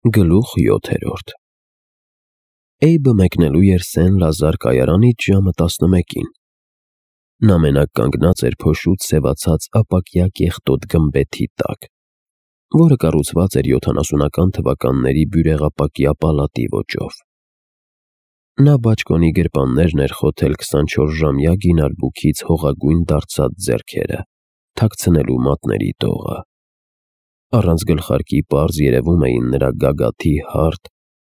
Գլուխ 7. Էյբը մեկնելու էր Սեն Լազար կայարանից ժամը 11-ին։ Նա մենակ կանգնած էր փոշուց սևացած ապակյա կեղտոտ գմբեթի տակ, որը կառուցված էր 70-ական թվականների բյուրեղապակյա պալատի ոճով։ Նա բաճկոնի գրպաններն էր խոթել 24-ժամյա գինարբուքից հողագույն դարձած ձեռքերը, թաքցնելու մատների դողը։ Առանց գլխարկի պարզ երևում էին նրա գագաթի հարթ,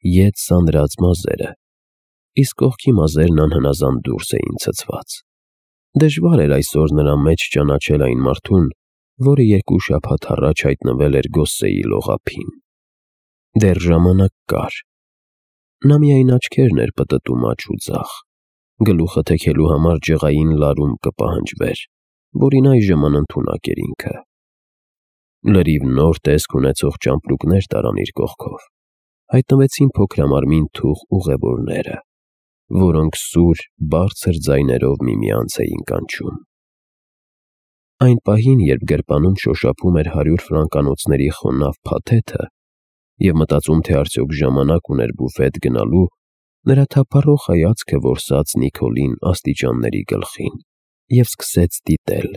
ետ սանրած մազերը, իսկ կողքի մազերն անհնազանդ դուրս էին ցցված։ Դժվար էր այսօր նրա մեջ ճանաչել այն մարդուն, որը 2 շաբաթ առաջ հայտնվել էր Գոսսեի լողափին։ Դեռ ժամանակ կար։ Նա միայն աչքերն էր պտտում աջ ու ձախ, գլուխը թեքելու համար ջղային լարում կպահանջվեր, որին այժմ անընդունակ էր ինքը։ Լրիվ նոր տեսք ունեցող ճամպրուկներ տարան իր կողքով, հայտնվեցին փոքրամարմին թուխ ուղևորները, որոնք սուր, բարձր ձայներով միմյանց էին կանչում։ Այն պահին, երբ գրպանում շոշափում էր 100 ֆրանկանոցների խոնավ փաթեթը և մտածում, թե արդյոք ժամանակ ուներ բուֆետ գնալու, նրա թափառող հայացքը որսաց Նիկոլին աստիճանների գլխին և սկսեց դիտել։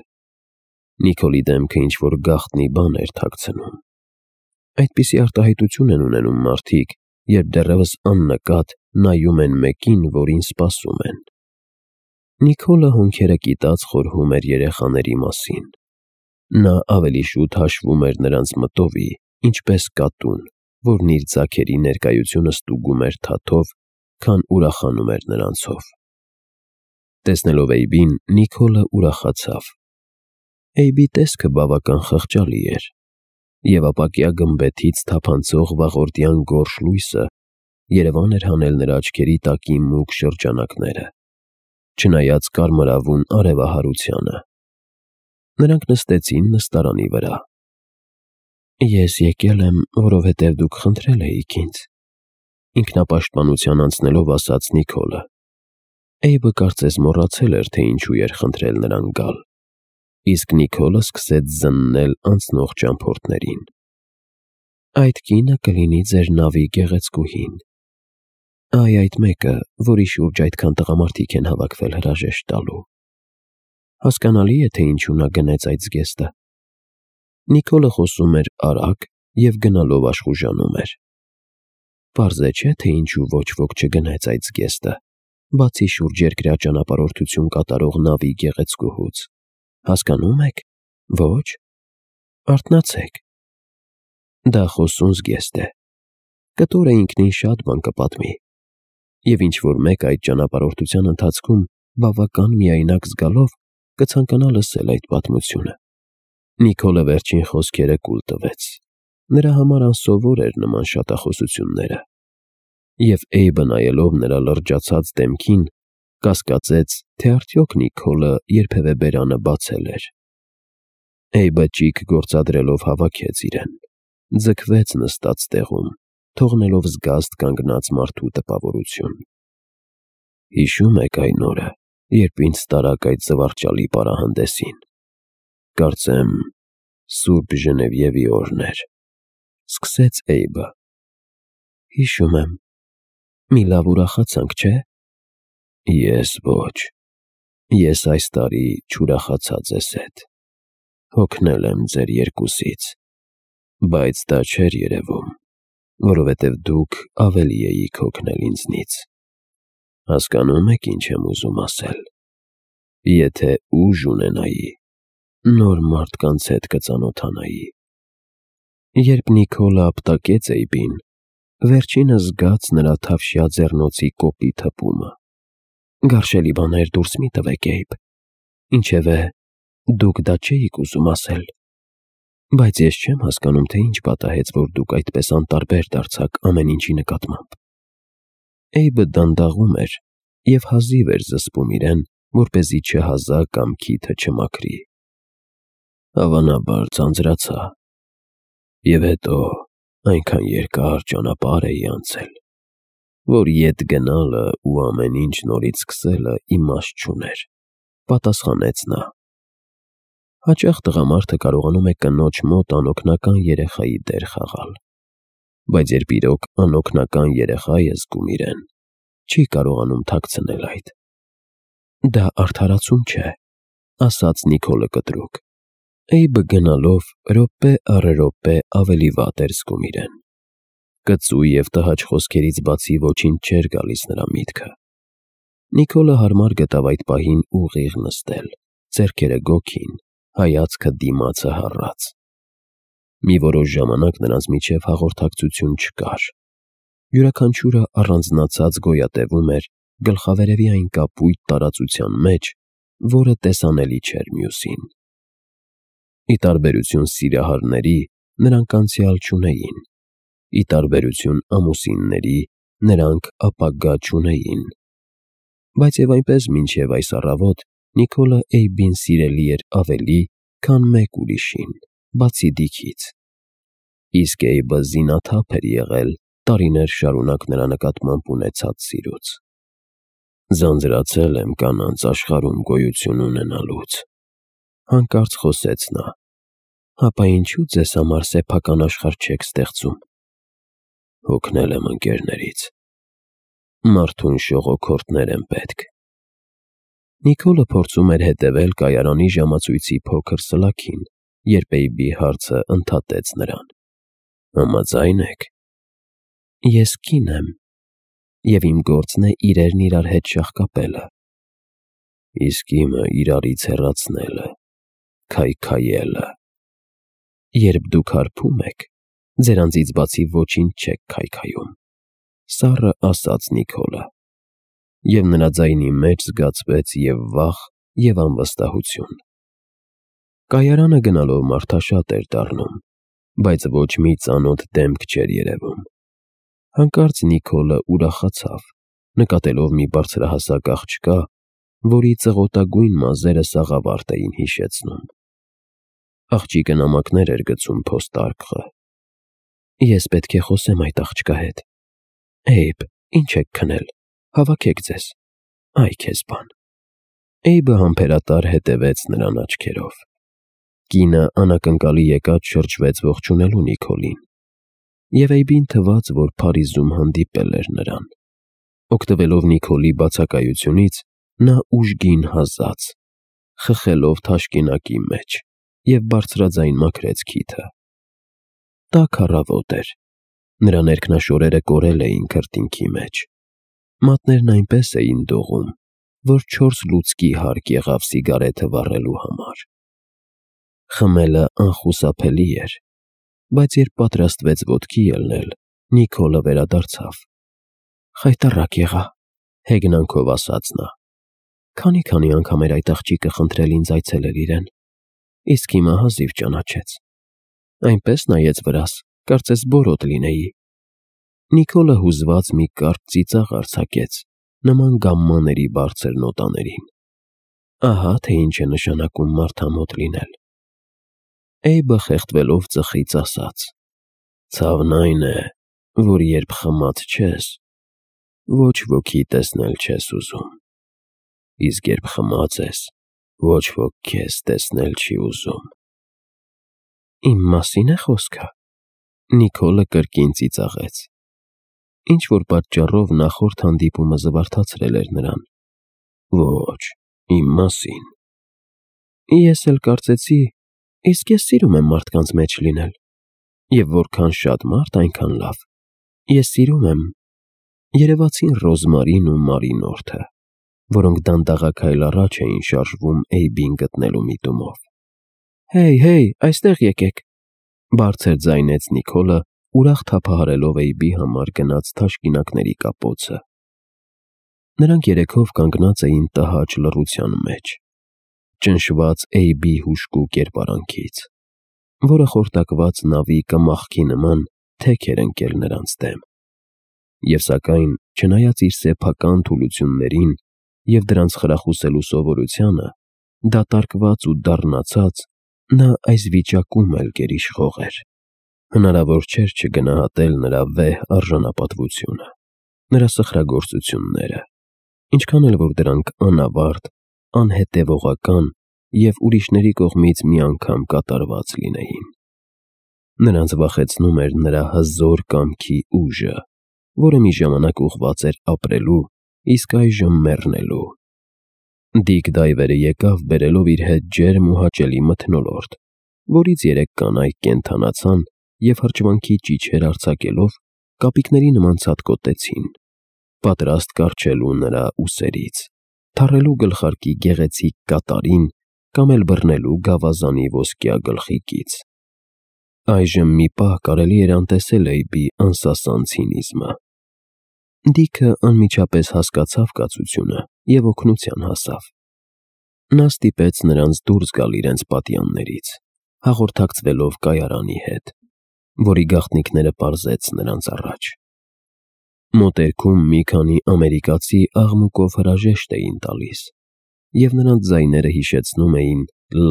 Նիկոլի դեմքը ինչ-որ գաղտնի բան էր թաքցնում։ Այդպիսի արտահայտություն են ունենում մարդիկ, երբ դեռևս աննկատ նայում են մեկին, որին սպասում են։ Նիկոլը հոնքերը կիտած խորհում էր երեխաների մասին։ Նա ավելի շուտ հաշվում էր նրանց մտովի, ինչպես կատուն, որն իր ձագերի ներկայությունը ստուգում էր թաթով, քան ուրախանում էր նրանցով։ Տեսնելով Էյբին, Նիկոլը ուրախացավ։ Էյբի տեսքը բավական խղճալի էր, և ապակյա գմբեթից թափանցող վաղորդյան գորշ լույսը երևան էր հանել նրա աչքերի տակի մուգ շրջանակները, չնայած կարմրավուն արևահարությանը։ Նրանք նստեցին նստարանի վրա։ «Ես եկել եմ, որովհետև դուք խնդրել էիք ինձ», ինքնապաշտպանության անցնելով ասաց Նիկոլը։ Էյբը կարծես մոռացել էր, թե ինչու էր խնդրել նրան գալ, իսկ Նիկոլը սկսեց զննել անցնող ճամփորդներին։ «Այդ կինը կլինի ձեր նավի գեղեցկուհին։ Այ այդ մեկը, որի շուրջ այդքան տղամարդիկ են հավաքվել հրաժեշտ տալու։ Հասկանալի է, թե ինչու նա գնեց այդ զգեստը»։ Նիկոլը խոսում էր արագ և գնալով աշխուժանում էր։ Պարզ է, չէ՞, թե ինչու ոչ ոք չգնեց այդ զգեստը, բացի շուրջերկրյա ճանապարհորդություն կատարող նավի գեղեցկուհուց։ Հասկանո՞ւմ եք։ Ոչ։ Արթնացեք։ Դա խոսուն զգեստ է։ Կտորը ինքնին շատ բան կպատմի։ Եվ ինչ-որ մեկ այդ ճանապարհորդության ընթացքում բավական միայնակ զգալով կցանկանա լսել այդ պատմությունը։ Նիկոլը վերջին խոսքերը կուլ տվեց։ Նրա համար անսովոր էր նման շատախոսությունները։ Եվ Էյբը նայելով նրա լրջացած դեմքին, կասկածեց, թե արդյոք Նիկոլը երբևէ բերանը բացել էր։ Էյբը ճիգ գործադրելով հավաքեց իրեն, ձգվեց նստած տեղում, թողնելով զգաստ կանգնած մարդու տպավորություն։ «Հիշո՞ւմ եք այն օրը, երբ ինձ տարաք այդ զվարճալի պարահանդեսին։ Կարծեմ, Սուրբ Ժնևիևի օրն էր», սկսեց Էյբը։ «Հիշում եմ։ Մի լավ ուրախացանք, չէ՞։ Ես ոչ։ Ես այս տարի չուրախացա ձեզ հետ։ Հոգնել եմ ձեր երկուսից։ Բայց դա չէր երևում, որովհետև դուք ավելի էիք հոգնել ինձնից։ Հասկանո՞մ եք, ինչ եմ ուզում ասել։ Եթե ուժ ունենայի, նոր մարդկանց հետ կծանոթանայի»։ Երբ Նիկոլը ապտակեց Էյբին, վերջինս զգաց նրա թավշյա ձեռնոցի կոպիտ հպումը։ «Գարշելի բաներ դուրս մի տվեք, Էյբ։ Ինչևէ, դուք դա չէիք ուզում ասել։ Բայց ես չեմ հասկանում, թե ինչ պատահեց, որ դուք այդպես անտարբեր դարձաք ամեն ինչի նկատմամբ»։ Էյբը դանդաղում էր և հազիվ էր զսպում իրեն, որպեսզի չհազա կամ քիթը չմաքրի։ Հավանաբար ձանձրացա։ Եվ հետո այնքան երկար ճանապարհ էի անցել, որ ետ գնալը ու ամեն ինչ նորից սկսելը իմաստ չուներ, պատասխանեց նա։ Հաճախ տղամարդը կարողանում է կնոջ մոտ անօգնական երեխայի դեր խաղալ։ բայց երբ իրոք անօգնական երեխա է զգում իրեն, չի կարողանում թաքցնել այդ։ Դա արդարացում չէ, ասաց Նիկոլը կտրուկ։ Էյբը գնալով րոպե առ րոպե ավելի վատ էր զգում իրեն։ Կծու և տհաճ խոսքերից բացի ոչինչ չէր գալիս նրա միտքը։ Նիկոլը հարմար գտավ այդ պահին ուղիղ նստել, ձեռքերը գոգին, հայացքը դիմացը հառած։ Մի որոշ ժամանակ նրանց միջև հաղորդակցություն չկար։ Յուրաքանչյուրը առանձնացած գոյատևում էր գլխավերևի այն կապույտ տարածության մեջ, որը տեսանելի չէր մյուսին։ Ի տարբերություն սիրահարների, նրանք անցյալ չունեին։ Ի տարբերություն ամուսինների, նրանք ապագա չունեին։ Բայց և այնպես մինչև այս առավոտ Նիկոլը Էյբին սիրելի էր ավելի, քան մեկ ուրիշին, բացի Դիքից։ Իսկ Էյբը զինաթափ էր եղել տարիներ շարունակ նրա նկատմամբ ունեցած սիրուց։ «Ձանձրացել եմ կանանց աշխարհում գոյություն ունենալուց», հանկարծ խոսեց նա։ «Հապա ինչու ձեզ համար սեփական աշխարհ չեք ստեղծում»։ «Հոգնել եմ ընկերներից։ Մարդուն շողոքորթներ են պետք»։ Նիկոլը փորձում էր հետևել կայարանի ժամացույցի փոքր սլաքին, երբ Էյբի հարցը ընդհատեց նրան։ «Համաձայն եք»։ «Ես կին եմ, և իմ գործն է իրերն իրար հետ շաղկապելը»։ «Իսկ իմը իրարից հեռացնելը, քայքայելը»։ «Երբ դուք հարբում եք, ձերանցից բացի ոչինչ չեք քայքայում», սառը ասաց Նիկոլը։ Եվ նրա ձայնի մեջ զգացվեց և վախ, և անվստահություն։ Կայարանը գնալով մարդաշատ էր դառնում, բայց ոչ մի ծանոթ դեմք չէր երևում։ Հանկարծ Նիկոլը ուրախացավ, նկատելով մի բարձրահասակ աղջկա, որի ծղոտագույն մազերը սաղավարտ էին հիշեցնում։ Աղջիկը նամակներ էր գցում փոստարկղը։ «Ես պետք է խոսեմ այդ աղջկա հետ։ Էյբ, ինչ եք քնել, հավաքեք ձեզ, այ քեզ բան»։ Էյբը համբերատար հետևեց նրան աչքերով։ Կինը անակնկալի եկած շրջվեց ողջունելու Նիկոլին, և Էյբին թվաց, որ Փարիզում հանդիպել էր նրան։ Օգտվելով Նիկոլի բացակայությունից, նա ուժգին հազաց, խխելով թաշկինակի մեջ, և բարձրաձայն մաքրեց քիթը։ Տաք առավոտ էր։ Նրա ներքնաշորերը կորել էին քրտինքի մեջ։ Մատներն այնպես էին դողում, որ 4 լուցկի հարկ եղավ սիգարեթը վառելու համար։ Խմելը անխուսափելի էր, բայց երբ պատրաստվեց ոտքի ելնել, Նիկոլը վերադարձավ։ «Խայտառակ եղա», հեգնանքով ասաց նա։ Քանի անգամ էր այդ աղջիկը խնդրել ինձ այցելել իրեն, իսկ հիմա հազիվ ճանաչեց։ Այնպես նայեց վրաս, կարծես բորոտ լինեի։ Նիկոլը հուզված մի կարճ ծիծաղ արձակեց, նման գամմաների բարձր նոտաներին։ Ահա թե ինչ է նշանակում մարդամոտ լինել։ Էյբը խեղդվելով ծխից ասաց. «Ցավն այն է, որ երբ խմած չես, ոչ ոքի տեսնել չես ուզում, իսկ երբ խմած ես, ոչ ոք քեզ տեսնել չի ուզում»։ «Իմ մասի՞ն է խոսքը»։ Նիկոլը կրկին ծիծաղեց։ Ինչ-որ պատճառով նախորդ հանդիպումը զվարթացրել էր նրան։ «Ոչ, իմ մասին»։ «Ես էլ կարծեցի, իսկ ես սիրում եմ մարդկանց մեջ լինել, և որքան շատ մարդ, այնքան լավ։ Ես սիրում եմ երևացին Ռոզմարին ու Մարինորթը, որոնք դանդաղաքայլ առաջ էին շարժվում Էյբին գտնելու միտումով»։ «Հեյ, այստեղ եկեք», բարձր ձայնեց Նիկոլը, ուրախ թափահարելով Էյբի համար գնած թաշկինակների կապոցը։ Նրանք երեքով կանգնած էին տհաճ լռության մեջ, ճնշված Էյբի հուժկու կերպարանքից, որը խորտակված նավի կմախքի նման թեք էր ընկել նրանց դեմ։ Եվ սակայն, չնայած իր սեփական թուլություններին և դրանց խրախուսելու սովորությանը, դատարկված ու դառնացած, նա այս վիճակում էլ գերիշխող էր։ Հնարավոր չէր չգնահատել նրա վեհ արժանապատվությունը, նրա սխրագործությունները, ինչքան էլ որ դրանք անավարտ, անհետևողական և ուրիշների կողմից մի անգամ կատարված լինեին։ Նրանց վախեցնում էր նրա հզոր կամքի ուժը, որը մի ժամանակ ուղղված էր ապրելու, իսկ այժմ մեռնելու։ Դիկ Դայվերը եկավ բերելով իր հետ ջերմ ու հաճելի մթնոլորտ, որից 3 կանայք կենդանացան և հրճվանքի ճիչեր արձակելով կապիկների նման ցատկոտեցին, պատրաստ կառչելու նրա ուսերից, թռելու գլխարկի գեղեցիկ կատարին կամ էլ բռնելու գավազանի ոսկյա գլխիկից։ Այժմ մի պահ կարելի էր անտեսել Էյբի անսասան ցինիզմը։ Դիքը անմիջապես հասկացավ կացությունը և օգնության հասավ։ Նա ստիպեց նրանց դուրս գալ իրենց պատյաններից, հաղորդակցվելով կայարանի հետ, որի գաղտնիքները պարզեց նրանց առաջ։ Մոտերքում մի քանի ամերիկացի աղմուկով հրաժեշտ էին տալիս, և նրանց ձայները հիշեցնում էին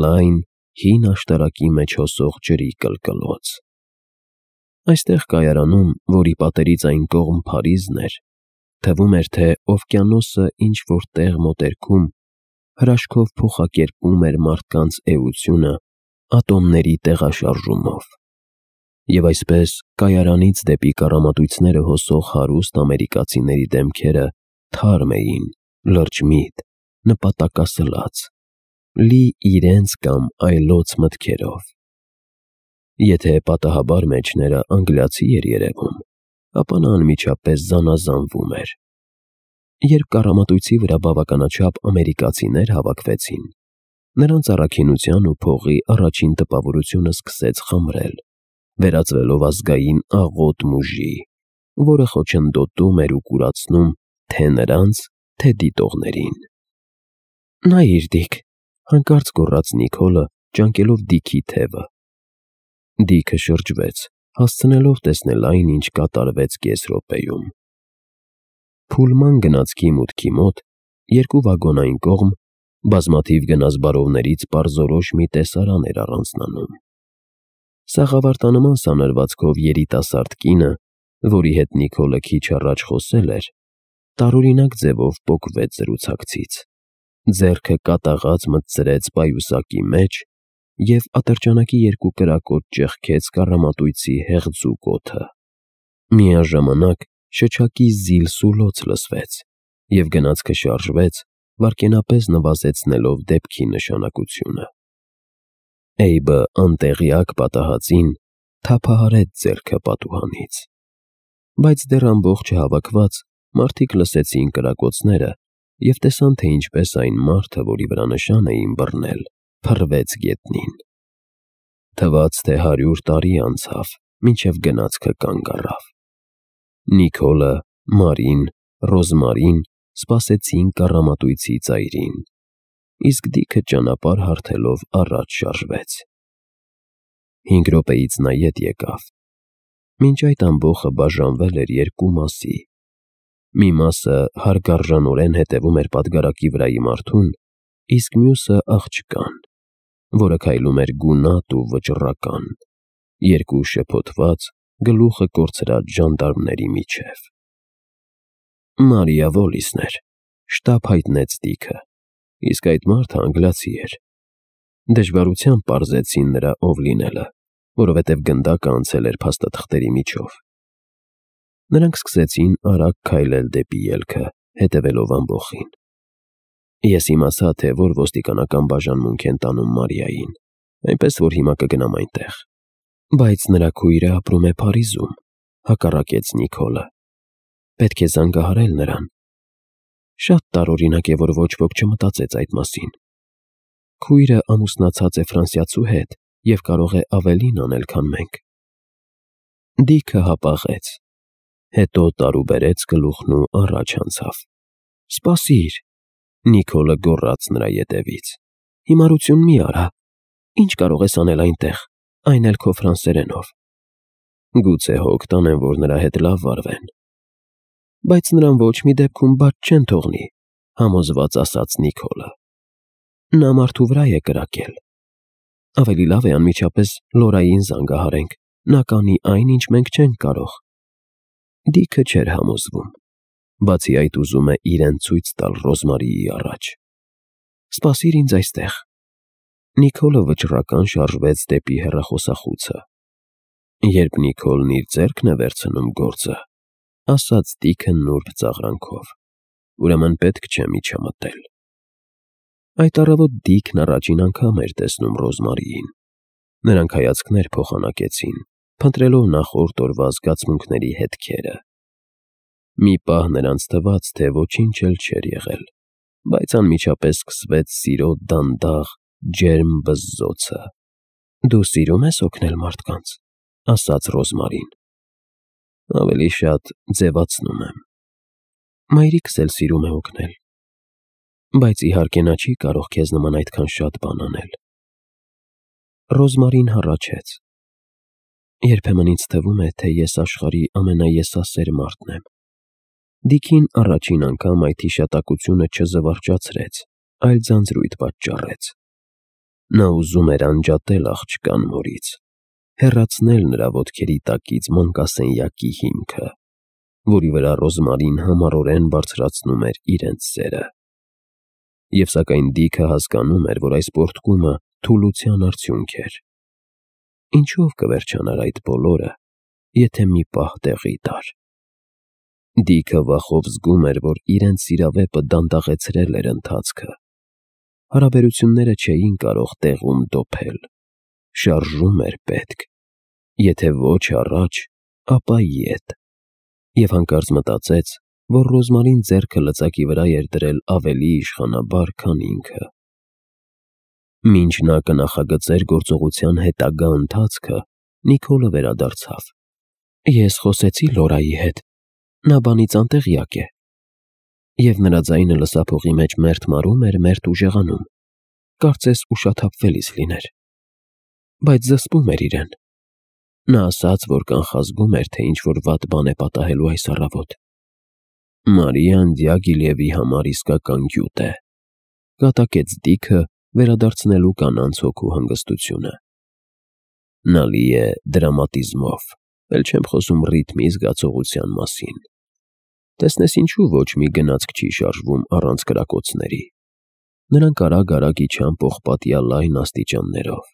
լայն, հին աշտարակի մեջ հոսող ջրի կլկլոց։ Այստեղ կայարանում, որի պատերից այն կողմ Փարիզն էր, թվում էր, թե օվկիանոսը ինչ-որ տեղ մոտերքում հրաշքով փոխակերպում էր մարդկանց էությունը ատոմների տեղաշարժումով։ Եվ այսպես կայարանից դեպի կառամատույցները հոսող հարուստ ամերիկացիների դեմքերը թարմ էին, լրջմիտ, նպատակասլաց, լի իրենց կամ այլոց մտքերով։ Եթե պատահաբար մեջները անգլիացի էր երևում, ապա նա անմիջապես զանազանվում էր։ Երբ կառամատույցի վրա բավականաչափ ամերիկացիներ հավաքվեցին, նրանց առաքինության ու փողի առաջին տպավորությունը սկսեց խամրել, վերածվելով ազգային աղոտ մուժի, որը խոչընդոտում էր ու կուրացնում թե նրանց, թե դիտողներին։ «Նայիր, Դիկ», հանկարծ գոռաց Նիկոլը, ջանկելով Դիքի թևը։ Դիքը շրջվեց, հասցնելով տեսնել այն, ինչ կատարվեց կես րոպեում։ Փուլման գնացքի մուտքի մոտ, 2 վագոնային կողմ, բազմաթիվ գնազբարովներից պարզորոշ մի տեսարան էր առանձնանում։ Սաղավարտանման սանրվածքով երիտասարդ կինը, որի հետ Նիկոլը քիչ առաջ խոսել էր, տարօրինակ ձևով պոկվեց զրուցակցից, ձեռքը կատաղած մտցրեց պայուսակի մեջ և ատրճանակի 2 կրակոտ ճեղքեց կառամատույցի հեղձուկ օդը։ Միաժամանակ շչակի զիլ-սուլոց լսվեց, և գնացքը շարժվեց, վայրկենապես նվազեցնելով դեպքի նշանակությունը։ Էյբը անտեղյակ պատահածին թափահարեց ձեռքը պատուհանից։ Բայց դեռ ամբողջ չհավաքված, մարդիկ լսեցին կրակոցները և տեսան, թե ինչպես այն մարդը, որի վրա նշան էին բռնել, փռվեց գետնին։ Թվաց, թե 100 տարի անցավ, մինչև գնացքը կանգ առավ։ Նիկոլը, Մարին, Ռոզմարին սպասեցին կառամատույցի ծայրին, իսկ Դիքը ճանապարհ հարթելով առաջ շարժվեց։ 5 րոպեից նա ետ եկավ։ Մինչ այդ ամբոխը բաժանվել էր 2 մասի։ Մի մասը հարգարժանորեն հետևում էր պատգարակի վրայի մարդուն, իսկ մյուսը աղջկան, որը քայլում էր գունատ ու վճռական, 2 շփոթված, գլուխը կորցրած ժանդարմների միջև։ Մարիա Վոլիսն էր, շտապ հայտնեց Դիքը, իսկ այդ մարդը անգլիացի էր։ Դժվարությամբ պարզեցին նրա ով լինելը, որովհետև գնդակը անցել էր փաստաթղթերի միջով։ Նրանք սկսեցին արագ քայլել դեպի ելքը, հետևելով ամբոխին։ Ես իմացա, թե որ ոստիկանական բաժանմունք են տանում Մարիային, այնպես որ հիմա կգնամ այնտեղ։ Բայց նրա քույրը ապրում է Փարիզում, հակառակեց Նիկոլը։ Պետք է զանգահարել նրան։ Շատ տարօրինակ է, որ ոչ ոք չմտածեց այդ մասին։ Քույրը ամուսնացած է ֆրանսիացու հետ և կարող է ավելին անել, քան մենք։ Դիքը հապաղեց, հետո տարուբերեց գլուխն ու առաջ անցավ։ «Սպասիր», Նիկոլը գոռաց նրա ետևից, «հիմարություն մի արա։ Ինչ կարող ես անել այնտեղ, այն էլ քո ֆրանսերենով»։ Գուցե հոգ տանեն, որ նրա հետ լավ վարվեն։ Բայց նրան ոչ մի դեպքում բաց չեն թողնի, համոզված ասաց Նիկոլը։ Նա մարդու վրա է կրակել։ Ավելի լավ է անմիջապես Լորային զանգահարենք, նա կանի այն, ինչ մենք չենք կարող։ Դիքը չէր համոզվում։ Բացի այդ ուզում է իրեն ցույց տալ Ռոզմարիի առաջ։ «Սպասիր ինձ այստեղ»։ Նիկոլը վճռական շարժվեց դեպի հեռախոսախուցը։ Երբ Նիկոլն իր ձեռքն է վերցնում գործը, ասաց Դիքը նուրբ ծաղրանքով, ուրեմն պետք չէ միջամտել։ Այդ առավոտ Դիքն առաջին անգամ էր տեսնում Ռոզմարիին։ Նրանք հայացքներ փոխանակեցին, փնտրելով նախորդ օրվա զգացմունքների հետքերը։ Մի պահ նրանց թվաց, թե ոչինչ էլ չէր եղել, բայց անմիջապես սկսվեց սիրո դանդաղ, ջերմ բզզոցը։ Դու սիրում ես օգնել մարդկանց, ասաց Ռոզմարին։ Ավելի շատ ձևացնում եմ։ Մայրիկս էլ սիրում է օգնել, բայց իհարկե նա չի կարող քեզ նման այդքան շատ բան անել։ Ռոզմարին հառաչեց։ Երբեմն ինձ թվում է, թե ես աշխարհի ամենաեսասեր մարդն եմ։ Դիքին առաջին անգամ այդ հիշատակությունը չզվարճացրեց, այլ ձանձրույթ պատճառեց։ Նա ուզում էր անջատել աղջկան մորից, հեռացնել նրա ոտքերի տակից մանկասենյակի հիմքը, որի վրա Ռոզմարին համառորեն բարձրացնում էր իրենց սերը։ Եվ սակայն Դիքը հասկանում էր, որ այս պոռթկումը թուլության արդյունք էր։ Ինչով կվերջանար այդ բոլորը, եթե մի պահ տեղի տար։ Դիքը վախով զգում էր, որ իրենց սիրավեպը դանդաղեցրել էր ընթացքը։ Հարաբերությունները չէին կարող տեղում դոփել։ Շարժում էր պետք։ Եթե ոչ առաջ, ապա ետ։ Եվ հանկարծ մտածեց, որ Ռոզմարին ձեռքը լծակի վրա էր դրել ավելի իշխանաբար, քան ինքը։ Մինչ նա կնախագծեր գործողության հետագա ընթացքը, Նիկոլը վերադարձավ։ Ես խոսեցի Լորայի հետ։ Նա բանից անտեղյակ է։ Եվ նրա ձայնը լսափողի մեջ մերթ մարում էր, մերթ ուժեղանում։ Կարծես ուշաթափվելիս լիներ։ Բայց զսպում էր իրեն։ Նա ասաց, որ կանխազգում էր, թե ինչ-որ վատ բան է պատահելու այս առավոտ։ Մարիան Դյագիլևի համար իսկական գյուտ է, կատակեց Դիքը, վերադարձնելու կանանց հոգու հանգստությունը։ Նա լի է դրամատիզմով, էլ չեմ խոսում ռիթմի զգացողության մասին։ Տեսնես ինչու ոչ մի գնացք չի շարժվում առանց կրակոցների։ Նրանք արագ-արագ իջան պողպատյա լայն աստիճաններով։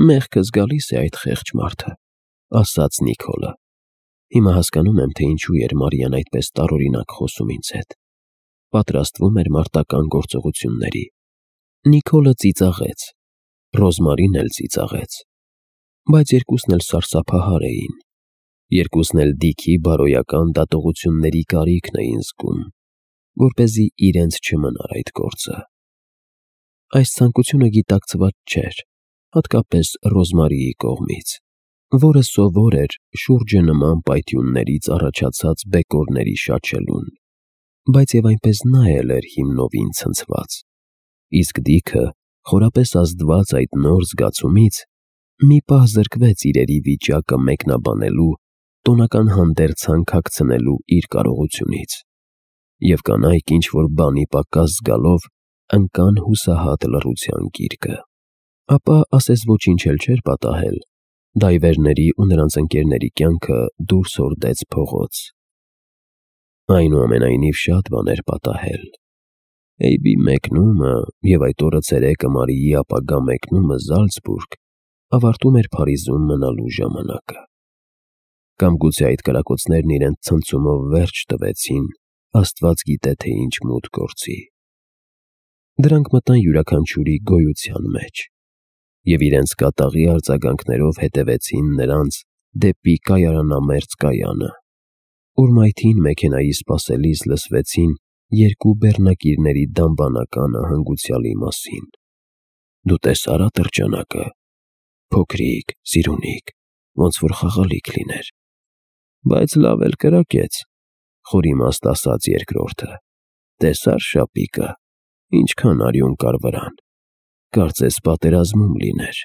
Մեղքս գալիս է այդ խեղճ մարդը, ասաց Նիկոլը։ Հիմա հասկանում եմ, թե ինչու էր Մարիան այդպես տարօրինակ խոսում ինձ հետ։ Պատրաստվում էր մարտական գործողությունների։ Նիկոլը ծիծաղեց, Ռոզմարին էլ ծիծաղեց, բայց երկուսն էլ սարսափահար էին։ Երկուսն էլ Դիքի բարոյական դատողությունների կարիքն էին զգում, որպեսզի իրենց չմնար այդ գործը։ Այս ցանկությունը գիտակցված չէր, հատկապես Ռոզմարիի կողմից, որը սովոր էր շուրջը նման պայթյուններից առաջացած բեկորների շաչելուն, բայց եւ այնպես նա էլ էր հիմնովին ցնցված։ Իսկ Դիքը, խորապես ազդված այդ նոր զգացումից, մի պահ զրկվեց իրերի վիճակը մեկնաբանելու, տոնական հանդերձանք հագցնելու իր կարողությունից, և կանայք ինչ-որ բանի պակաս զգալով ընկան հուսահատ լռության գիրկը։ Ապա ասես ոչինչ էլ չէր պատահել, դայվերների ու նրանց ընկերների կյանքը դուրս հորդեց փողոց։ Այնուամենայնիվ շատ բաներ պատահել։ Էյբի մեկնումը և այդ օրը ցերեկը Մարիի ապագա մեկնումը Զալցբուրգ ավարտում էր Փարիզում մնալու ժամանակը։ Կամ գուցե այդ կրակոցներն իրենց ցնցումով վերջ տվեցին, Աստված գիտե թե ինչ մութ գործի։ Դրանք մտան յուրաքանչյուրի գոյության մեջ, և իրենց կատաղի արձագանքներով հետևեցին նրանց դեպի կայարանամերձ կայանը, ուր մայթին մեքենայի սպասելիս լսվեցին երկու բեռնակիրների դամբանականը հանգուցյալի մասին։ Դու տեսա՞ր ատրճանակը, փոքրիկ, սիրունիկ, ոնց որ խաղալիք լիներ։ Բայց լավ էլ կրակեց, խորիմաստ ասաց երկրորդը։ Տեսա՞ր շապիկը, ինչքան արյուն կար վրան, կարծես պատերազմում լիներ։